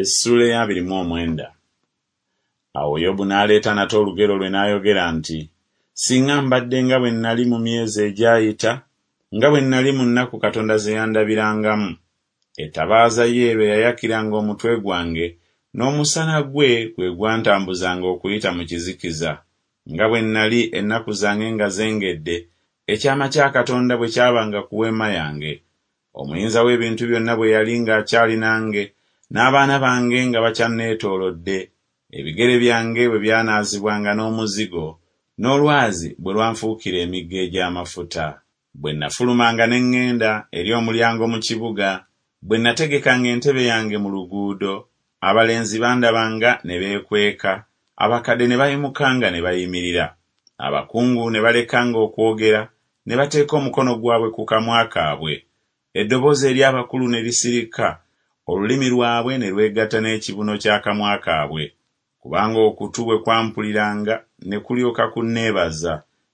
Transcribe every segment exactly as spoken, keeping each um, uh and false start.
Essuula ey'abiri mu omwenda. Awo Yobu n'aleeta nate olugero lwe n'ayogera nti, Singa mbadde nga bwe nnali mu myezi egyayita, nga bwe nnali mu nnaku Katonda ze yandabirangamu. Ettabaaza ye lwe yayakiranga omutwe gwange, n'omusana gwe gwe gwantambuzanga okuyita mu kizikiza, nga bwe nnali ennaku zange nga zengedde, ekyama kya Katonda bwe kyabanga ku weema yange. Omuyinza w'ebintu byonna bwe yali ng'akyali nange, n'abaana bange nga bakyanneetoolodde, ebigere byange bwe byanaazibwanga n'omuzigo, n'olwazi bwe lwanfuukira emigga egy'amafuta. Bwe nafulumanga ne ŋŋenda eri omulyango mu kibuga, bwe nategekanga entebe yange mu luguudo, abalenzi bandabanga ne beekweka, abakadde ne bayimukanga ne bayimirira. Abakungu ne balekanga okwogera, ne bateeka omukono gwabwe ku kamwa kaabwe. Eddoboozi ery'abakulu ne lisirika, olulimi lwabwe ne lwegatta n'ekibuno ky'akamwa kaabwe. Kubanga okutu bwe kwampuliranga ne kulyoka kunneebaza,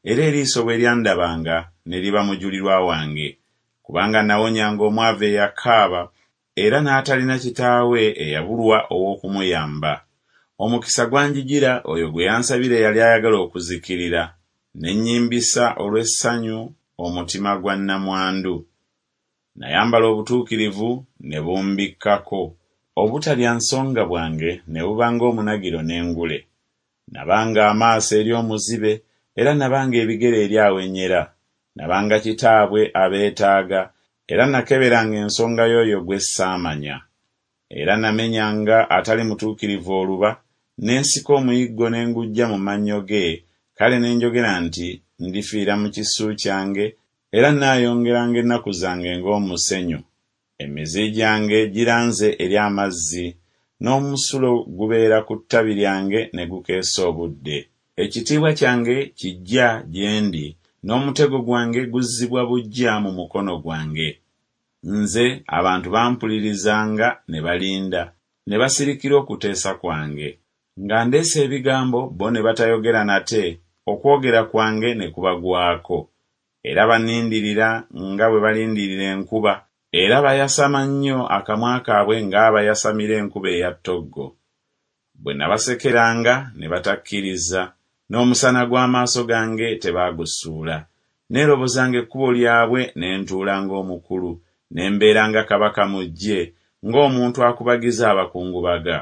era eriiso bwe lyandabanga ne liba mujulirwa wange. Kubanga nawonyanga omwavu eyakaaba, era n'atalina kitaawe eyabulwa ow'okumuyamba. Omukisa gwanjijira oyo gwe yansabira eyali ayagala okuzikirira, ne nnyimbisa olw'essanyu omutima gwa nnamwandu. Nayambala obutuukirivu ne bumbikkako, obutalya nsonga bwange ne buba ng'omunagiro n'engule. Nabanga amaaso eri omuzibe, era nabanga ebigere eri awenyera. Nabanga kitaabwe abeetaaga, era nakeberanga ensonga y'oyo gwe ssaamanya. Era namenyanga atali mutuukirivu oluba, ne nsika omuyiggo ne nguggya mu mannyo ge, kale ne njogera nti, Ndifiira mu kisu kyange, era nnaayongeranga ennaku zange ng'omusenyu. Emizi gyange giranze eri amazzi, n'omusulo gubeera ku ttabi lyange ne gukeesa obudde. Ekitiibwa kyange kiggya gye ndi, n'omutego gwange guzzibwa buggya mu mukono gwange. Nze abantu bampulirizanga ne balinda, ne basirikira okuteesa kwange. Nga ndeese ebigambo bo ne batayogera nate, okwogera kwange ne kubagwako. Era bannindirira nga bwe balindirira enkuba, era bayasama nnyo akamwa kaabwe ng'abayasamira enkuba eya ttoggo. Bwe nabasekeranga ne batakkiriza, n'omusana gw'amaaso gange tebaagusuula. Neerobozanga ekkubo lyabwe ne ntuula ng'omukulu, ne mbeera nga kabaka mu ggye, ng'omuntu akubagiza abakungubaga.